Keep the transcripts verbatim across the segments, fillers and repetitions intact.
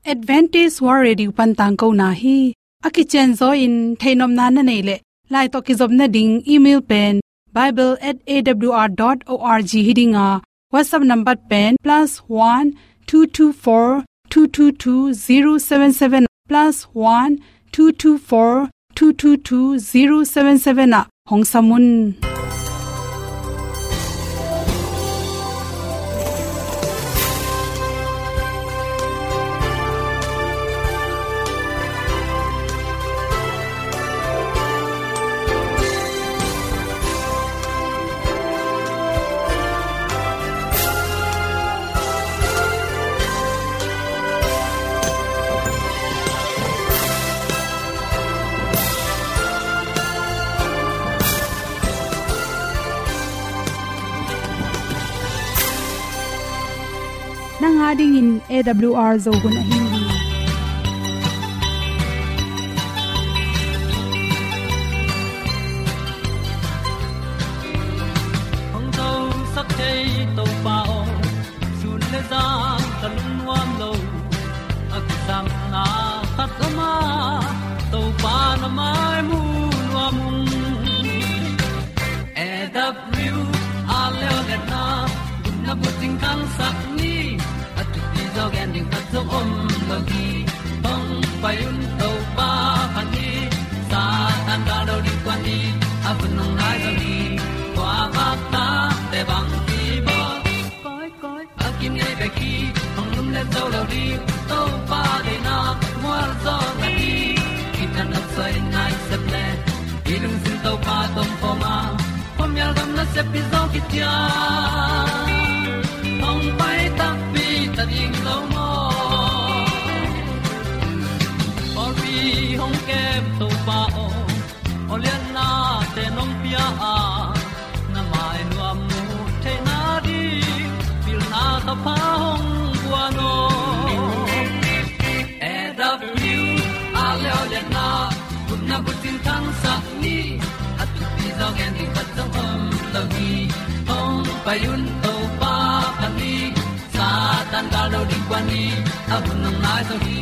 Adventist World Radio pan tangkona hi. A kicianzaw in theihnopna na neih leh, lai tawh kizopna ding email pen bible at A W R dot org hi ding a, WhatsApp number pen plus one two two four two two two zero seven seven, plus one two two four two two two zero seven seven ah hong sam un. Nang a dingin A W R Zo hun ahi hi. Hong zosak thei Topa aw, sun le zan ka lungnuam lo. A kisapna khat om a, Topa na mai mu nuam ung. A W R leo le na, gupna bucing khangsak ni, a thupi zaw gen ding khat zong om lo hi. Hong pai un Topa phat ni, Satan gal lo ding kuan ni, a hun hong nai zo hi. Kua vak ta te bang hi bawl. Koi, koi, a kinei bek hi, hong lumlet zo lo ding, Topa deihna mual zaw na hi. Kitang nop soi nai sep le, i lungsim Topa tawh om khawm a, khuamial gam nasep hi zaw kician. Hong pai takpi ta ding lo maw? Pawlpi hong kem Topa aw, awliatnate nong pia a, na mai nuam mu theihna ding, pilna thapha hong guan aw. A W R leo le na, gupna bucing khangsak ni, a thupi zaw gen ding khat zong om lo hi. Hong pai un Topa phat ni, Satan gal lo ding kuan ni, a hun hong nai zo hi.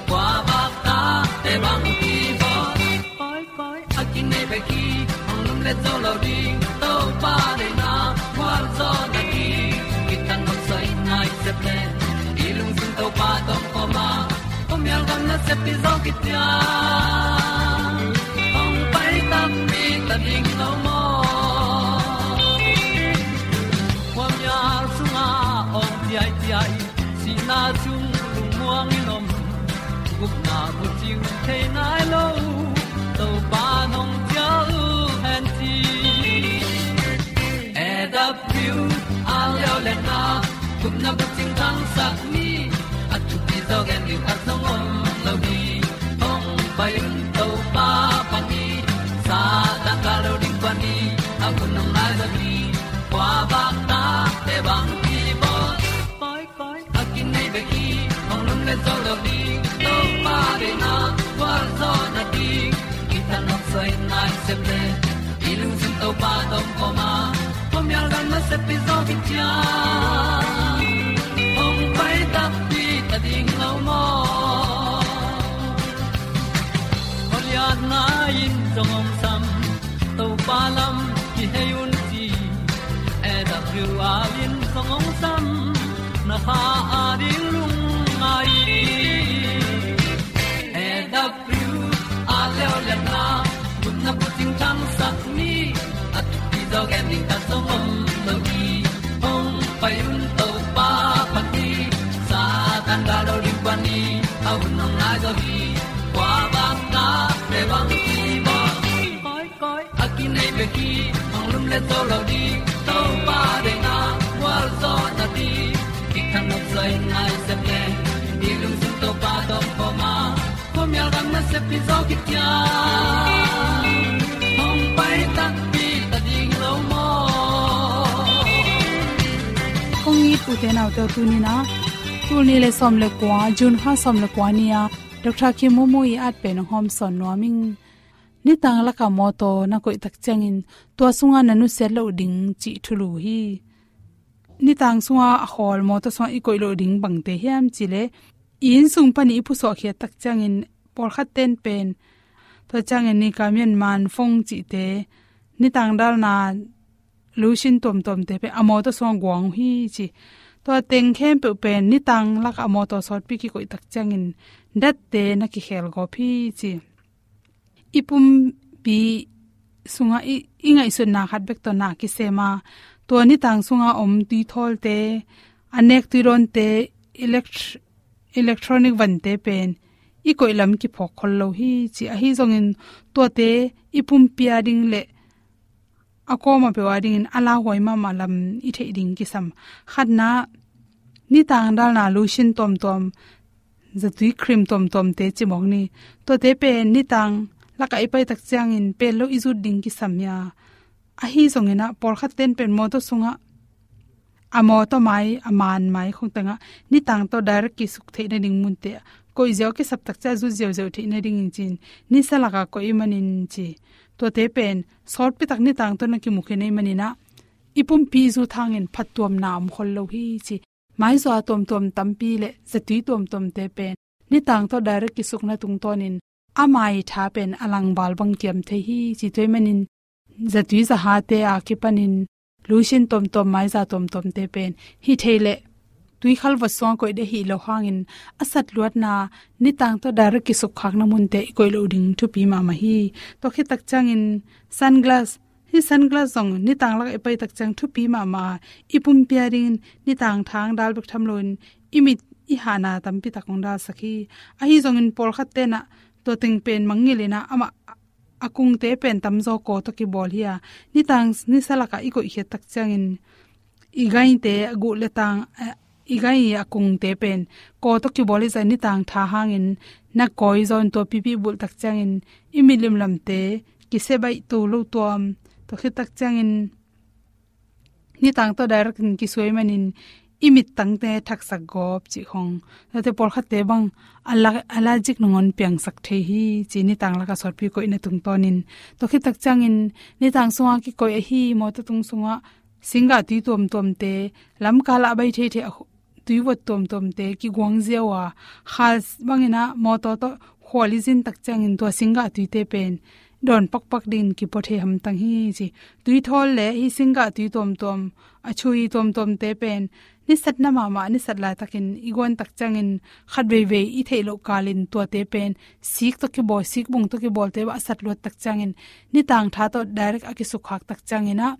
Kua vak ta te bang hi bawl. Koi, koi, a kinei bek hi, hong lumlet zo lo ding, Topa deihna mual zaw na hi. Kitang nop soi nai sep le, i lungsim Topa tawh om khawm a, khuamial gam nasep hi zaw kician. Hong pai takpi ta ding lo maw? Khuamial sungah awng ciaiciai, sihna sung lungmuang in om, gupna bucing thei nai lo, Topa nong ciah uh hen ci. A W R leo le na, gupna bucing khangsak ni, a thupi zaw gen ding khat zong om lo hi. Hong pai un Topa phat ni, Satan gal lo ding kuan ni, a hun hong nai zo hi. Kua vak ta te bang hi bawl. Koi, koi, a kinei bek hi, hong lumlet zo lo ding, Topa deihna mual zaw na hi. Kitang nop soi nai sep le, i lungsim Topa tawh om khawm a, khuamial gam nasep hi zaw kician. Hong pai takpi ta ding lo maw? Awliatna in zong hong sam, Topa lam kihei un ci. A W R in zong hong sam, na kha a ding lungngai. A W R leo le na, gupna bucing khangsak ni, a thupi zaw gen ding khat zong om lo hi. Hong pai un Topa phat ni, Satan gal lo ding kuan ni, a hun hong nai zo hi. Kua vak ta te bang hi bawl. Koi, koi, a kinei bek hi, hong lumlet zo lo ding, Topa deihna mual zaw na hi. Kitang nop soi nai sep le, i lungsim Topa tawh om khawm a, khuamial gam nasep hi zaw kician. Hong pai takpi ta ding lo maw? Kong it u te nau te, tuni-in ah, tul nih le sawm le kua, June kha sawm le kua ni-a, Doctor Khin Maw Maw ii at pen hong hawmsawn nuam ing. Nitang lakah mawtaw na koih tak ciangin, tua sungah na nusiat loh ding cih thulu hi. Nitang sungah a khawl mawtaw sungah i koih loh ding bangte hiam cih leh, inn sung panin i pusuah khiat tak ciangin pawlkhat ten pen, tua ciangin ni ka mian man fong cihte, nitang dalna lotion tuamtuamte pen a mawtaw sungah guang uh hi ci. Tua teng khempeuh pen nitang lakah a mawtaw sawtpi kikoih tak ciangin datte na kikhel gawp hi ci. I pumpi sungah i, i ngaihsutna khat bek tawh na kisem a, tua nitang sungah om tuithawlte, a nek tuidawnte, elect-, electronic vante pen i koih lam kiphawk khol lo hi ci. Ahi zongin tuate i pumpi a ding le a kawm a peuh a dingin a lauhuai mahmah lam i theih ding kisam. Khatna, nitang dalna lotion tuamtuam, zatui cream tuamtuamte cimawk ni. Tuate pen nitang lakah i pai tak ciangin pen lo i zut ding kisam hi a. Ahi zongin ah, pawlkhat ten pen mawtaw sungah a mawtaw mai, a man mai khong tengah nitang tawh direct kisuk theih nading munte ah koih ziau kisap tak ciang zut ziauziau theih nadingin ci-in, nisa lakah koih ahih manin ci. Tuate pen sawtpi tak nitang tawh na kimu khin ahih manin ah, i pumpi zut hangin phattuamna om khol lo hi ci. Maizaw tuamtuam tampi le zatui tuamtuamte pen nitang tawh direct kisukna tungtawnin ama i tha pen a langval bang kiam thei hi ci. Tua ahih manin zatui zahate a kipanin lotion tuamtuam, maiza tuamtuamte pen hi thei leh tuikhal vot sungah koih ding ahih loh hangin a satluatna nitang tawh direct kisukkhakna munte i koih loh ding thupi mahmah hi. Tua khit tak ciangin sunglass, hih sunglass zong nitang lakah i pai tak ciang thupi mahmah a, i pumpi a dingin nitang tha hong dal bek tham loin i mit i hahna tampi tak hong dalsak hi. Ahi zongin pawlkhat ten ah tua teng pen mangngilh in ah, amah a kungte pen tamzaw kaw tawh kibawl hi a, nitang nisa lakah i koih khiat tak ciangin i gaite, a guh le tang, eh, i gai a kungte pen kaw tawh kibawl hi zah, nitang tha hangin na kawi zaw in tua pipi bulh tak ciangin i mit limlamte kisia baih to lo tuam. Tua khit tak ciangin nitang tawh direct in kisuai manin i mittangte thaksak gawp cih khong. Tuate pawlkhatte bang ala-, allergic nangawn piangsak thei hi ci, nitang lakah sawtpi koihna tungtawnin. Tua khit tak ciangin nitang sungah kikoih ahi, mawtaw tung sungah singgah tui tuamtuamte, lamkal ah a bai theithei a hu-, tuivot tuamtuamte kiguang ziau a, khal bangin ah mawtaw tawh khual i zin tak ciangin tua singgah tuite pen dawn pakpak dingin kipua thei hamtang hi ci. Tuithawl le hih singgah tui tuamtuam, a chui tuamtuamte pen nisatna mahmah, nisat laitakin i guan tak ciangin khat veivei i theih loh kalin tuate pen sik tawh kibawl, sik bung tawh kibawlte bah a satluat tak ciangin nitang tha tawh direct a kisukkhak tak ciangin ah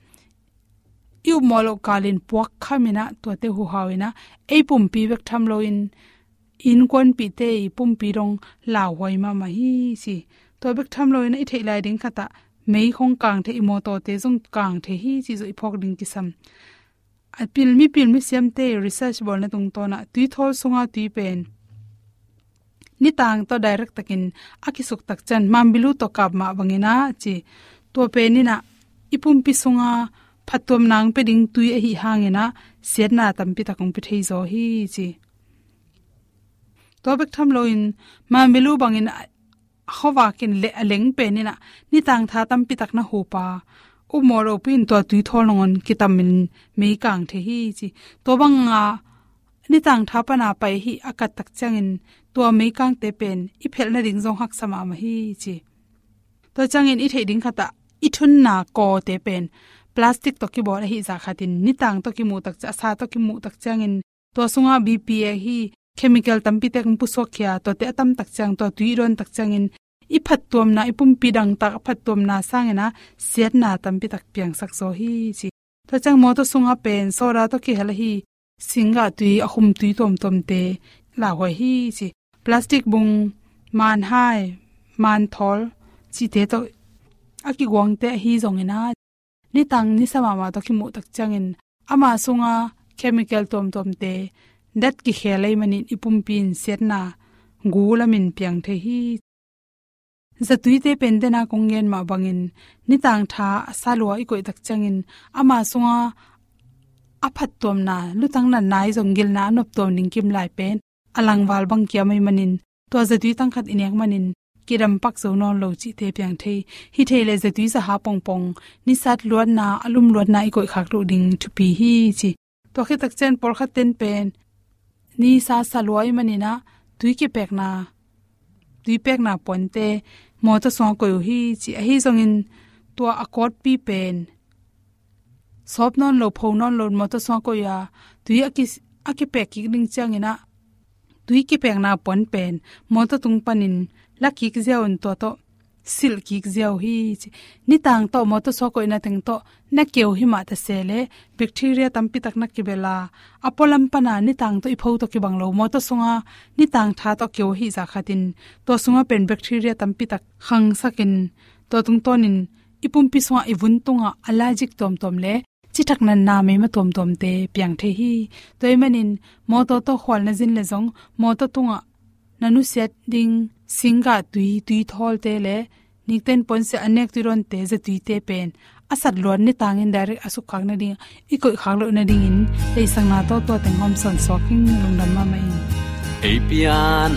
i upmawh loh kalin puak khamin ah tuate huhau in ah, ei pumpi bek tham loin innkuanpihte i pumpi dong lauhuai mahmah hi ci. Tua bek tham loin ah i theih lai ding khat ah mei khong kang thei, i mawtawte zong kang thei hi cih zong i phawk ding kisam. A pil, mipil misiamte research bawlna tungtawn ah tuithawl sunga tui pen nitang tawh direct takin a kisuk tak ciang mambilu tawh kap mah bangin ah ci. Tua pen in ah i pumpi sunga phattuamna hong pia ding tui ahih hangin ah siatna tampi tak hong pia thei zaw hi ci. Tua bek tham loin mambilu bangin a, a khuavak in le a leng pen in ah nitang tha tampi tak na hup a, upmawh lohpi in tua tuithawl nangawn kitamin mei kang thei hi ci. Tua banga nitang tha pana pai hi a kat tak ciangin tua meikangte pen i phelh nading zong haksa mahmah hi ci. Tua ciangin i theih ding khat ah i thunna kawte pen plastic tawh kibawl ahih zah khatin nitang tawh kimuh tak ciang, a sa tawh kimuh tak ciangin tua sungah B P A hi chemical tampi tak hong pusuak khia, tuate a tam tak ciang, tua tui i dawn tak ciangin i phattuamna, i pumpi dangtak a phattuamna sangin ah siatna tampi tak piangsak zaw hi ci. Tua ciang mawtaw sungah pen soda tawh kihel ahi singgah tui, a khum tui tuamtuamte lauhuai hi ci. Plastic bung, manhai, manthawl cihte tawh a kiguangte ahi zongin ah nitang nisa mahmah tawh kimuh tak ciangin ama sunga chemical tuamtuamte dat kikhel ahih manin i pumpi in siatna gu lamin piang thei hi. Zatuite pen dena kong gen mah bangin nitang tha a sa lua i koih tak ciangin ama sunga a phattuamna, lutang natna ahi zong gilna a noptuam ding kimlai pen a langval bang kiam ahih manin tua zatui tangkhat i nek manin kidampak zo nawn lo cihte piang thei. Hi thei leh zatui zaha pongpong nisat luatna, a lum luatna i koihkhak loh ding thupi hi ci. Tua khit tak ciang pawlkhat ten pen nisa sa lua ahih manin ah tui kipekna, tui pekna puante mawtaw sungah koih uh hi ci. Ahi zongin tua a kawtpi pen sawp nawn lo, pho nawn lo mawtaw sungah koih a, tui a ki, a kipek kik ding ciangin ah tui kipekna puan pen mawtaw tung panin la kik ziau in tua tawh silh kik ziau hi ci. Nitang tawh mawtaw sungah koihna teng tawh na keu hi mah ta se leh bacteria tampi tak na kibel a, a pualam pana nitang tawh i pho tawh kibang lo, mawtaw sunga nitang tha tawh keu hi zah khatin tua sungah pen bacteria tampi tak khangsakin tua tungtawnin i pumpi sungah, i vun tungah allergic tuamtuam le cithak natna meima tuamtuamte piang thei hi. Tua ahih manin mawtaw tawh khual na zin leh zong mawtaw tungah na nusiat ding singgah tui, tuithawlte le nikten puansilh a nek tuidawnte, zatuite pen a sat luat nitangin direct a sukkhak nading, i koihkhak loh nadingin leisakna tawh tua teng hawm sawn suak ing. Lungdam mahmah ing. Ei pian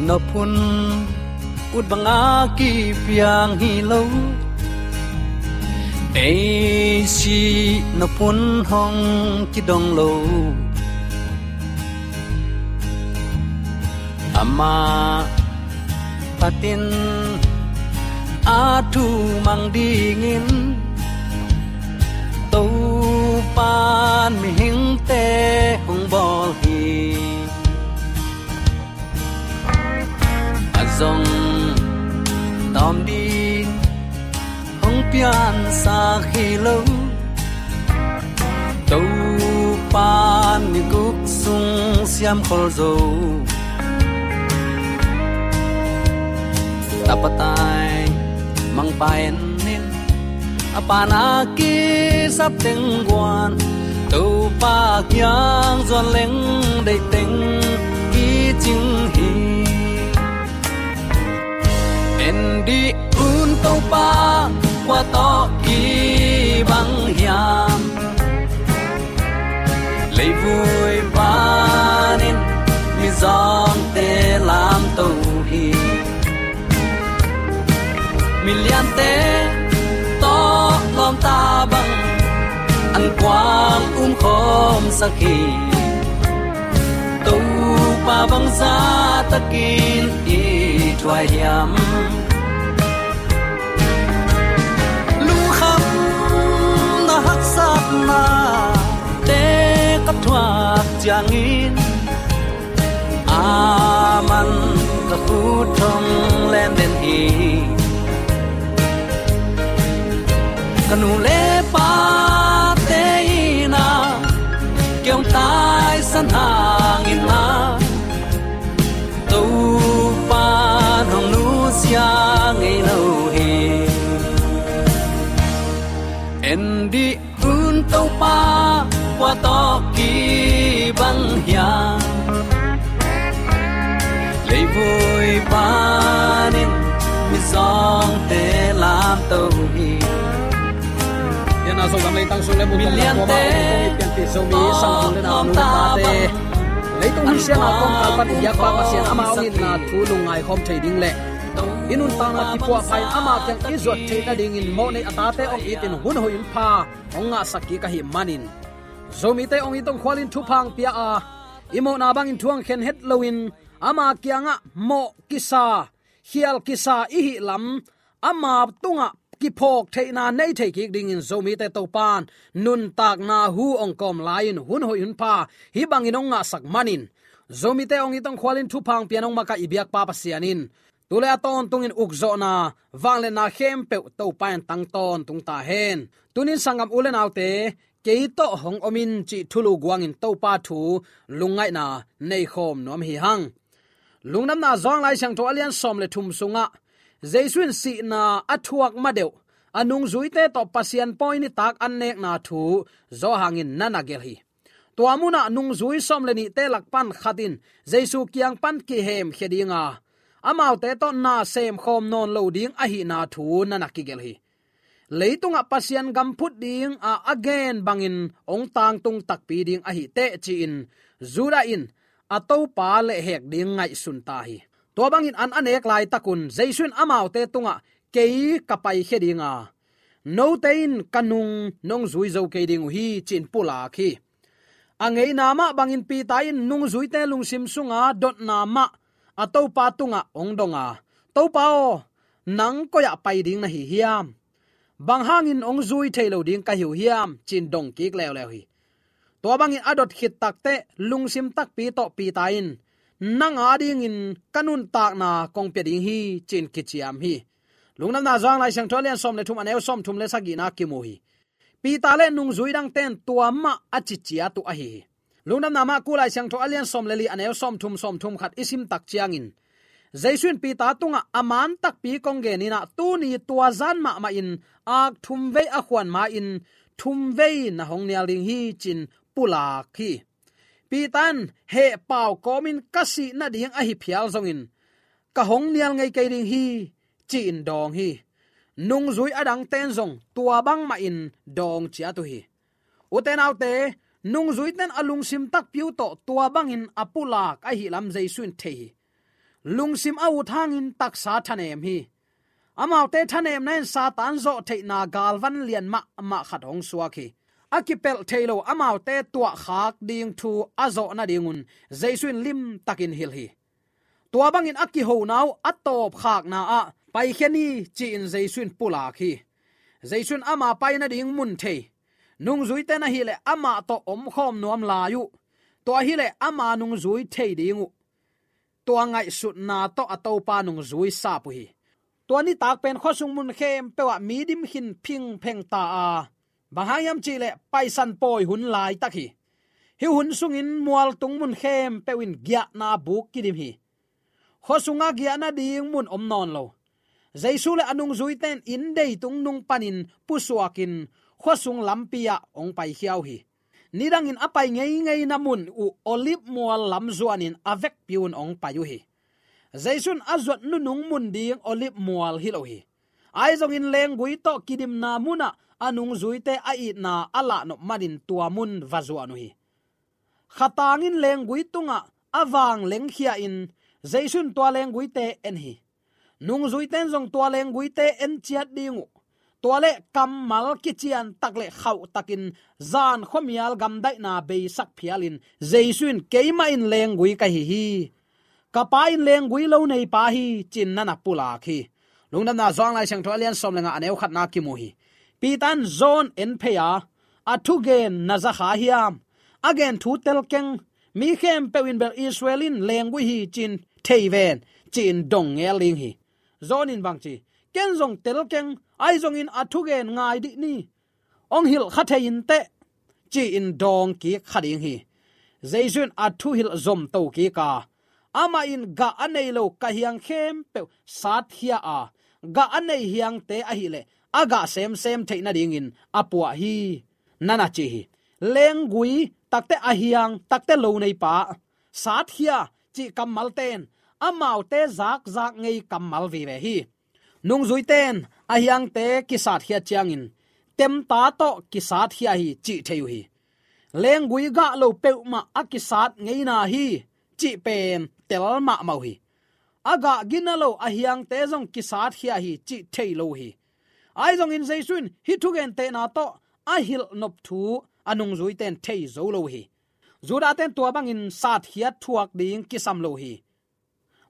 nop hun ut banga kipiang hi lo, ei sih nop hun hong kidong lo. Amah phatin a thu mang dingin Topan mihingte hong bawl hi. A zong tawm ding hong piansak hi lo, Topan ni guk sung siam khol zo. Tapa tai mangpa en in, a pana kisap teng guan, Topa kiang zuan leng deih teng kicing hi. En dih un Topa kua tawh kibang hiam, leivui panin mizawngte lamto hi. Miliante tawh lawmta bang an kuang umkhawmsak hi. Topa bangzah takin i thuai hiam? Lungkhamna haksatna te ka thuak ciangin, aman ka khut hong len den hi. Ka nu le pate in a kei hong taisan hangin a, Topan hong nusia ngei lo hi. En dih un Topa kua tawh kibang hiam, leivui panin mizawngte lamto hi. Pian a Zogam leitang sung le mun tawh lam tua mah hong kong i pianpih Zomi sanggam le nau nu le pate, leitung hun siang a kawmkal pan i biakpa Pasian ama hong itna thu lungngai khawm thei ding le i nuntakna kipuahpha in ama kiang i zuat theih nadingin mawhnei a tate hong itin hun hoih hun pha hong ngahsak kik ahih manin, Zomite hong it hong khualin thupha hong pia a, i mawhna bangin thu hong khen het loin ama kiangah mawh kisa, khial kisa i hih lam, ama tungah kiphawk theihna nei thei kik dingin Zomite Topan nuntakna hu hong kawm lai-in hun hoih hun pha hih bangin hong ngahsak manin, Zomite hong it hong khualin thupha hong pian hong makaih i biakpa Pasian in tu le a tawntungin ukzawhna, vangliatna khempeuh Topa in tang tawntung ta hen. Tunin sanggam u le naute, kei tawh hong om in cih thulu guangin Topa thu lungngaihna nei khawm nuam hi hang. Lungdamna Johan Lai Siangtho a lian sawm le thum sungah Jesu in sihna a thuak madeuh a nungzuite tawh Pasian pawi nitak an nekna thu Johan in na na gelh hi. Tua munah nungzui sawm le nihte lak pan khat in Jesu kiang pan kihemkhia dinga, amaute tawh na semkhawm nawn lo ding ahihna thu na na kigelh hi. Leitungah Pasian gam phut ding a a gen bangin hong tangtung takpi ding ahi teh ci-in Judah in a Topa lehhek ding ngaihsun ta hi. Tua bangin an a nek laitakun Jesu in amaute tungah, "Kei ka paikhia dinga, note in ka nung nong zui zo kei ding uh hi," ci-in pulak hi. A ngeina mah bangin Peter in nungzuite lungsim sunga dotna mah a Topa tungah hong dong a, "Topa aw, nang koi-ah pai ding na hi hiam? Bang hangin hong zui thei lo ding ka hi uh hiam?" ci-in dong kik leuleu hi. Tua bangin a dot khit takteh lungsim takpi tawh Peter in, "Nang adingin ka nuntakna kong pia ding hi," ci-in kiciam hi. Lungdamna Johan Lai Siangtho a lian sawm le thum, a neu sawm thum le sagihna kimu hi. Peter le nungzui dangte'n tua mah a ci ciat uh ahi hi. Lungdamna Marku Lai Siangtho a lian sawm le li, a neu sawm thum, sawm thum khat i sim tak ciangin, Jesu in Peter tungah, "A man takpi kong gen in ah, tuni tua zan mahmah in ak thum vei a khuan ma-in thum vei na hong nial ding hi," ci-in pulak hi. Peter in, "Heh pau kawmin ka sih nading ahi phial zongin ka hong nial ngei kei ding hi," ci-in dawng hi. Nungzui a dangte'n zong tua bangmahin dawng ciat uh hi. Ute naute, nungzuite'n a lungsim takpi uh tawh tua bangin a pulak ahih lam Jesu in thei hi. Lungsim a ut hangin taksa thanem hi. Amaute thanemna in Satan zawh theihna galvan lian mahmah khat hong suak hi. A kipelh thei lo amaute tuahkhak ding thu a zawh nadingun Jesu in limtakin hilh hi. Tua bangin a kihona uh a tawpkhakna ah, "Paikhia ni," ci-in Jesu in pulak hi. Jesu in ama pai nading mun thei, nungzuite'n ahih leh amah tawh omkhawm nuam lai uh, tua hileh ama nungzui thei ding uh, tua ngaihsutna tawh a Topa nungzui sap uh hi. Tua nitak pen khuasung mun khempeuh ah mi dim khin phingpheng ta a, bang hang hiam cih leh Paisan pawi hun laitak hi. Hih hun sungin mualtung mun khempeuh in giahna buk kidim hi. Khuasungah giahna ding mun om nawn lo. Jesu le a nungzuite'n inndei tung nung panin pusuakin khuasung lampi ah hong paikhia uh hi. Nidangin a pai ngeingeina mun uh Olive mual lam zuanin a vekpi-un hong pai uh hi. Jesu in a zuat nunung mun ding Olive mual hi lo hi. Ahi zongin lenggui tawh kidimna munah a nungzuite a itna a lahnop manin tua mun va zuan uh hi. Khatangin lenggui tungah a vang lengkhia-in Jesu in tua lengguite en hi. Nungzuite'n zong tua lengguite en ciat ding uh. Tua leh kammal kiciantak le khauhtakin zan khuamial gamdaihna beisak phialin Jesu in, "Keimah in lenggui ka hi hi. Ka Pa in lenggui lo neipa hi," ci-in na na pulak hi. Lungdamna Johan Lai Siangtho a lian sawm le nga, a neu khatna kimu hi. Peter in John en phei a, "A thugen na za kha hiam? A gen thu tel keng. Mi khempeuh in bel Israel in lenggui hi ci-in thei ven," ci-in dong ngel ding hi. John in bang ci? "Ken zong tel keng, ahi zongin a thugen ngai dih ni. Hong hilh kha thei inteh," ci-in dawng kik kha ding hi. Jesu in a thuhilh zomto kik a, amah in gah a nei lo ka hiang khempeuh satkhia a, gah a nei hiangte ahih leh a gah semsem theih nadingin a puah hi, na na ci hi. Lenggui takteh a hiang takteh lo neipa, satkhia cih kammalte'n amaute zakzak ngei kammal vive hi. Nungzuite'n a hiangte kisatkhia ciangin temta tawh kisatkhia hi cih thei uh hi. Lenggui gah lo peuhmah a kisat ngeina hi cih pen tel mahmah uh hi. A gah gina lo a hiangte zong kisatkhia hi cih thei lo uh hi. Ahi zongin Jesu in hih thugentehna tawh a hilh nop thu a nungzuite'n thei zo lo uh hi. Judate'n tua bangin satkhiat thuak ding kisam lo uh hi.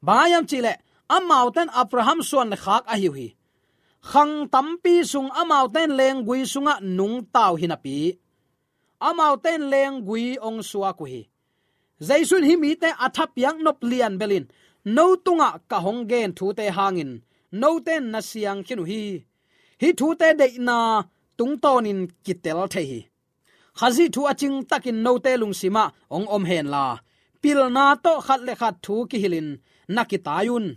Bang hang hiam cih leh amaute'n Abraham suan le khak ahi uh hi. Khang tampi sung amaute'n lenggui sungah nungta uh hi napi, amaute'n lenggui hong suak uh hi. Jesu in hih mite a thapiak nop lian belin, "No tungah ka hong gen thute hangin note'n na siang khin uh hi. Hih thute deihna tungtawnin kitel thei hi. Khazih thu a cingtakin note lungsimah hong om henla, pilna tawh khat le khat thu kihilhin na kitai un.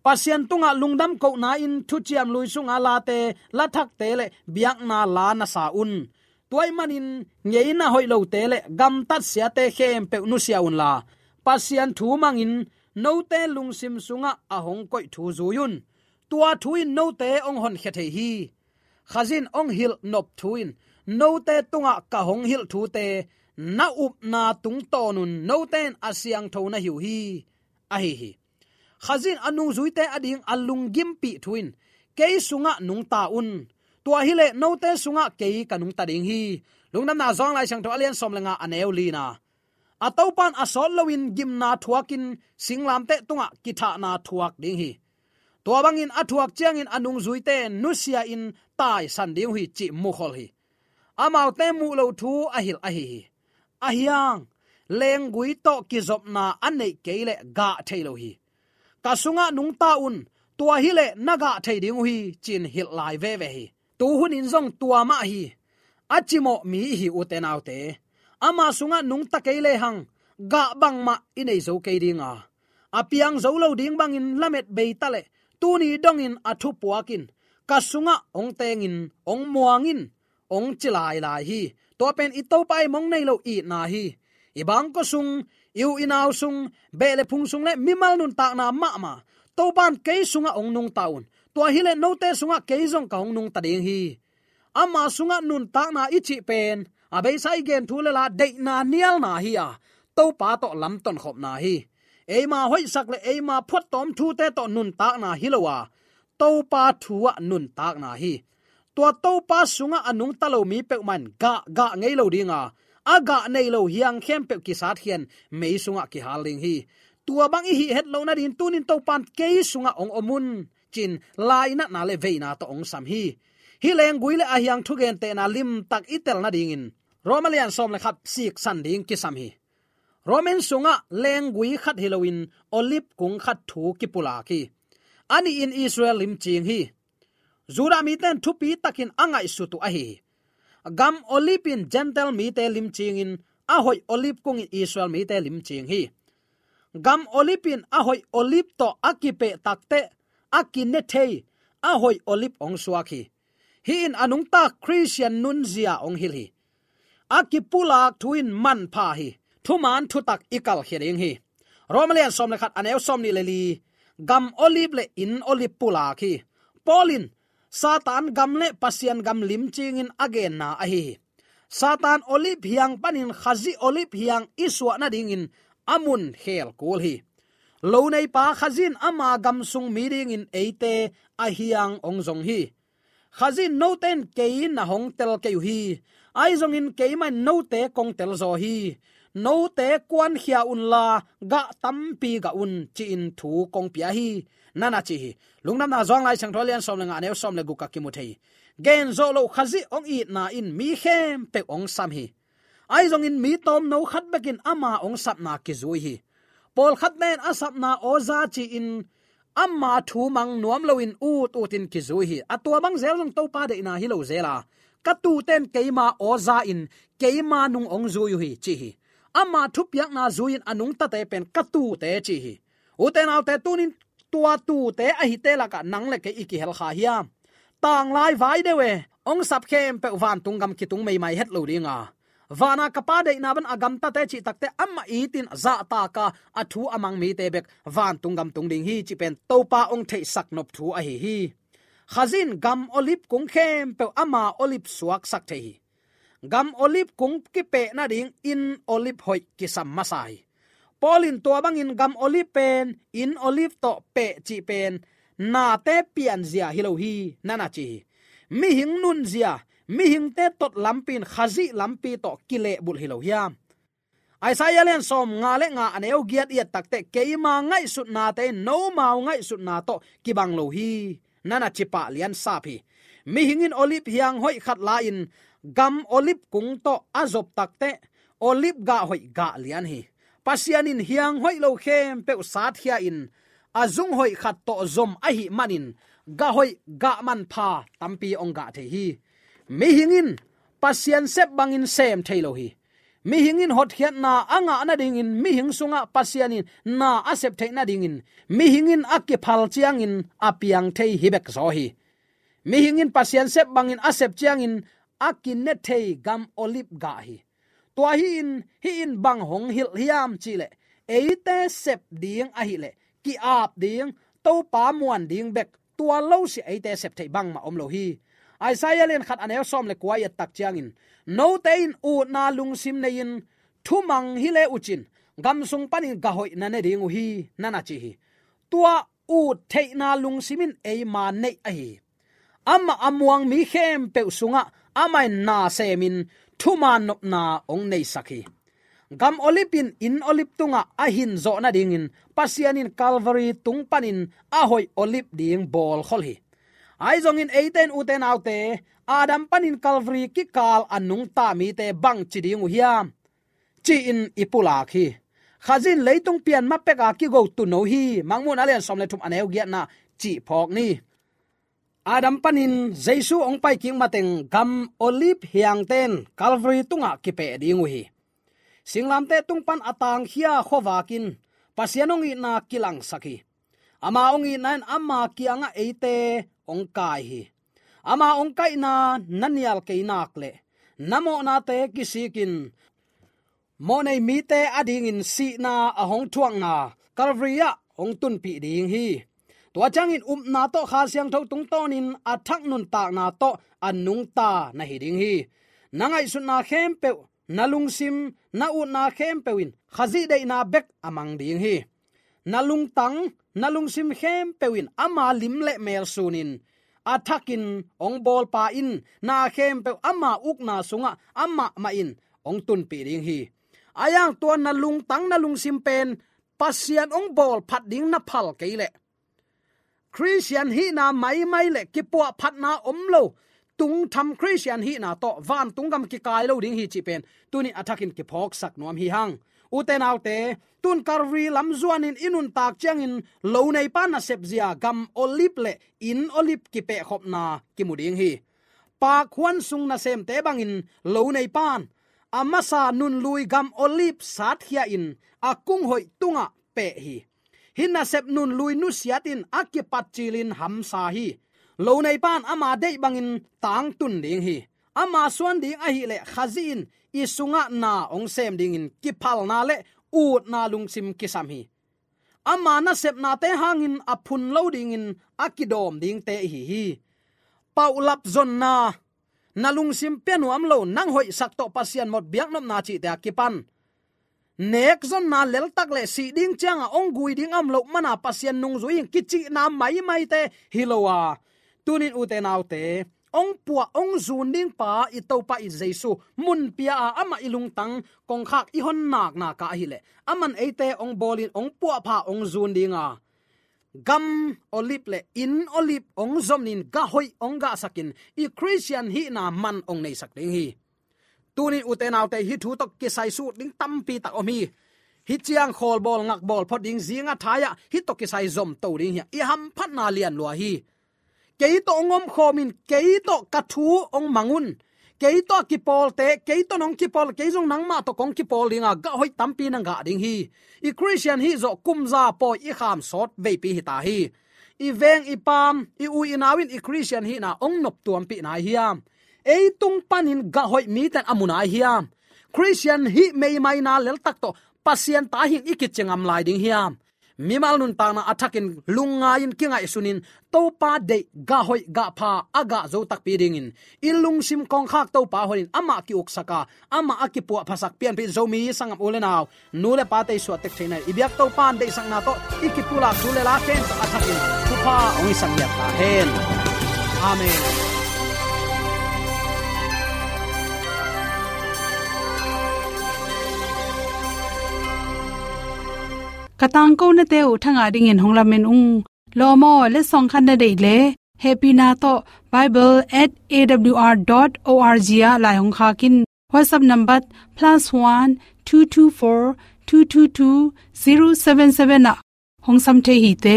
Pasian tungah lungdam kohna-in Thuciam Lui sunga late, lathakte le biakna la na sa un. Tua ahih manin ngeina hoih lote le gamtat siate khempeuh nusia unla, Pasian thu mangin note lungsim sungah a hong koih thu zui un. Tua thu in note hong honkhia thei hi. Khazih in hong hilh nop thu in note tungah ka hong hilh thute na upna tungtawnun note'n a siangtho na hi uh hi," ahi hi. Khazih in a nungzuite ading a lunggimpih thu in, "Kei sungah nungta un. Tua hileh note sungah kei ka nungta ding hi." Lungdamna Johan Lai Siangtho a lian sawm le nga, a neu lina. A Topan a sawt loin gimna thuakin singlamteh tungah kithahna thuak ding hi. Tua bangin a thuak ciangin a nungzuite nusia-in taisan ding uh hi, cih mukhol hi. Amaute muh lo thu a hilh ahi hi. Ahi hang, lenggui tawh kizopna a neih kei leh gah thei lo hi. Ka sungah nungta un, tua hileh na gah thei ding uh hi, ci-in hilh lai veve hi. Tu hunin zong tua mah hi. A cimawh mi i hi, ute naute. Ama sungah nungta kei lehang, gah bangmah i nei zo kei ding a, a piang zo lo ding bangin lamet bei ta leh, tuni dongin a thupuak in, ka sungah hong teng in, hong muang in, hong ci lailai hi. Tua pen i Topa i mong nei lo itna hi. I bangkua sung, i u i nau sung, beh le phung sung le mimal nuntakna mahmah, Topan kei sungah hong nungta un. Tua hileh note sungah kei zong ka hong nungta ding hi. Ama sungah nuntakna i cih pen, a beisa i gen thu le la, deihna nialna hi a, Topa tawh lamtonkhopna hi. Eima hoihsak le eima phuattawm thute tawh nuntakna hi lo a, Topa thu ah nuntakna hi. Tua Topa sungah a nungta lo mi peuhmah in gah, gah ngei lo ding a, a gah nei lo hiang khempeuh kisatkhia-in mei sungah kihal ding hi. Tua bang i hih het loh nadingin tunin Topan kei sungah hong om un, ci-in lainatna le veina tawh hong sam hi. Hih lenggui le a hiang thugentehna limtak i tel nadingin Roma lian sawm le khat siksan ding kisam hi. Roman sungah lenggui khat hi loin olive kung khat thu kipulak hi. A nihin Israel limcing hi. Judah mite in thupi takin a ngaihsut uh ahi hi. Gam olive in Gentile mite limcingin, a hoih olive kung in Israel mite limcing hi. Gam olive in a hoih olive tawh a kipeh takteh, a kine thei, a hoih olive hong suak hi. Hih in a nungta Khristian nunzia hong hilh hi. A kipulak thu in manpha hi. Thuman thutak i kalkhia ding hi. Roma lian sawm le khat, a neu sawmnih le li. Gam olive le inn olive pulak hi. Paul in Satan gam le Pasian gam limcingin a genna ahi hi. Satan olive hiang panin Khazih olive hiang i suah nadingin a mun khel kul hi. Lo neipa Khazih in ama gam sung mi dingin eite a hiang hong zong hi. Khazih in note in kei na hong tel kei uh hi. Ahi zongin keimah in note kong tel zaw hi. Note kuankhia unla, gah tampi gah un, ci-in thu kong pia hi, na na ci hi. Lungdamna Johan Lai Siangtho lian sawm le nga, a neu sawm le guk ah kimu thei hi. Gen zawh loh Khazih hong itna in mi khempeuh hong sam hi. Ahi zongin mi tawmno khat bekin ama hong sapna kizui hi. Pawlkhatte in a sapna awza ci-in ama thu mang nuam loin ut utin kizui hi. A tua bang zel zong Topa deihna hi lo zel a, ka tuute in keima awza in keima nung hong zui uh hi, ci hi. Ama thupiakna zui-in a nungtate pen ka tuute, ci hi. Ute naute, tunin tua tuute ahite lakah nang le kei i kihel kha hiam? Tanglai vai deuh e, hong sap khempeuh vantung gam kitung meimai het lo ding a, vana ka Pa deihna bang a gamtate cih takteh amah itin zahtak a, a thu a mang mite bek vantung gam tung ding hi, cih pen Topa hong theihsak nop thu ahi hi. Khazih in gam olive kung khempeuh ama olive suaksak thei hi. Gam olive kung kipeh nading inn olive hoih kisam masa hi. Paul in tua bangin gam olive pen inn olive tawh peh cih pen nate pianzia hi lo hi, na na ci hi. Mihing nunzia, mihingte tot lampi in Khazih lampi tawh kilehbulh hi lo hiam? Isaiah lian sawm nga le nga, a neu giat i et takteh, keima ngaihsutnate in nomau ngaihsutna tawh kibang lo hi, na na ci pah lian sap hi. Mihing in olive hiang hoih khat la-in gam olive kung tawh a zop takteh, olive gah hoih gah lian hi. Pasian in hiang hoih lo khempeuh satkhia-in a zung hoih khat tawh zom ahih manin gah hoih gah manpha tampi hong gah thei hi. Mihing in Pasian sep bangin sem thei lo hi. Mihing in hotkhiatna a ngah nadingin, mihing sungah Pasian in na a sep theih nadingin, mihing in a kiphal ciangin a piang thei hi bek zaw hi. Mihing in Pasian sep bangin a sep ciangin a kine thei gam olive gah hi. Tua hi-in, hih in bang hong hilh hiam cihleh, eite sep ding ahileh ki-ap ding, Topa muan ding bek, tua lo si eite sep theih bangmah om lo hi. Isaiah lian khat, a neu sawm le kua i et tak ciangin, note in utna lungsim nei-in thumang hi le uh cin, gam sung panin gah hoih na ne ding uh hi, na na ci hi. Tua ut theihna lungsim in eima neih ahi hi. Amah a muang mi khempeuh sungah amah in na semin thuman nopna hong neisak hi. Gam Olive in inn Olive tungah a hin zawh nadingin Pasian in Calvary tung panin a hoih Olive ding bawlkhol hi. Ahi zongin eite in, ute naute, Adam panin Calvary kikal a nungta mite bangci ding uh hiam, ci-in i pulak hi. Khazih in leitung pian ma peka kigo tuuno hi. Mangmuhna a lian sawm le thum, a neu giatna cih phawk ni. Adam panin Jesu hong pai kik mateng gam Olive hiangte in Calvary tungah kipeh ding uh hi. Singlamteh tung pan a tangkhia khuavak in Pasian hong itna kilangsak hi. Ama hong itna in ama kiangah eite hong kai hi. Ama hong kaihna na nial kei nak leh na mawhnate kisikin mawhnei mite adingin sihna a hong thuakna Calvary ah hong tunpih ding hi. Tua ciangin upna tawh Kha Siangtho tungtawnin a thak nuntakna tawh a nungta na hi ding hi. Na ngaihsutna khempeuh, na lungsim, na utna khempeuh in Khazih deihna bek a mang ding hi. Na lungtang, na lungsim khempeuh in ama lim le mel sunin, a thakin hong bawlpa in na khempeuh ama ukna sungah amah mah in hong tunpih ding hi. Ahi hang tua na lungtang, na lungsim pen Pasian hong bawl phat ding na phal kei leh, Khristian hihna maimai le kipuahphatna om lo, tungtham Khristian hihna tawh vantung gam kikai lo ding hi cih pen tuni a thakin kiphawksak nuam hi hang. Ute naute, tun Calvary lam zuanin i nuntak ciangin loneipa nasepzia gam Olive le inn Olive kipehkhopna kimu ding hi. Pakhuan sung nasemte bangin loneipa in a masa nunlui gam Olive satkhia in a kung hoih tungah peh hi. Hih nasep nunlui nusiat in a kipat cilin hamsa hi. Loneipa in ama deih bangin tangtun ding hi. Ama suan ding ahih leh Khazih in i sungah na hong sem dingin kiphalna le utna lungsim kisam hi. Ama nasepnate hangin a phun lo dingin a kidawm dingte ihi hi. Paulap zonna, na lungsim pia nuam lo, nang hoihsak tawh Pasian mawk biaknopna cihte a kipan nek zonna, leltak le sih ding cianga hong gui ding a om loh mana Pasian nungzui in kicihna maimaite hi lo a, tunin ute naute, hong puah hong zun ding pa i Topa i Jesu mun pia a, amah i lungtang kongkhak i hon nakna ka ahih leh, aman eite hong bawlin hong puahpha hong zun ding a, gam Olive le inn Olive hong zom in gah hoih hong gahsakin i Khristian hihna man hong neisak ding hi. Tunin ute naute, hih thu tawh kisai sut ding tampi tak om hi. Hih ciang khawl bawl ngak bawl phot ding, zinga thai-ah hih tawh kisai zom to ding hi a, i hamphatna lianlua hi. Kei tawh hong omkhawm in, kei tawh ka thu hong mang un. Kei tawh a kipawlte, kei tawh nong kipawl, kei zong nangmah tawh kong kipawl ding a, gah hoih tampi na gah ding hi. I Khristian hih zawh kum za pawi i kham sawt veipi hi ta hi. I veng i paam, i u i nau in i Khristian hihna hong noptuampih nai hiam? Ei tung panin gah hoih mite in a mu nai hiam? Khristian hih meimaina leltak tawh Pasian ta hing i kici ngam lai ding hiam? Mimal nuntakna a thakin lungngai-in kingaihsunin Topa deih, gah hoih gah pha a gah zo takpi dingin i lungsim kongkhak Topa honin amah ki-uksak a, amah a kipuahphasak pianpih Zomi sanggam u le nau, nu le pate i suahtek theihna, i biak Topa in deihsakna tawh i kipulak thu le la khempeuh a thakin thupha hong hisak ngiat ta hen. Amen. Ka tangkonate uh thangah dingin hong lamen ung. Lawm aw, letsong khat na deih leh hehpihna tawh bible at A W R dot O R G ah lai hong khak in. WhatsApp number plus one two two four two two two zero seven seven ah hong sam thei hi te.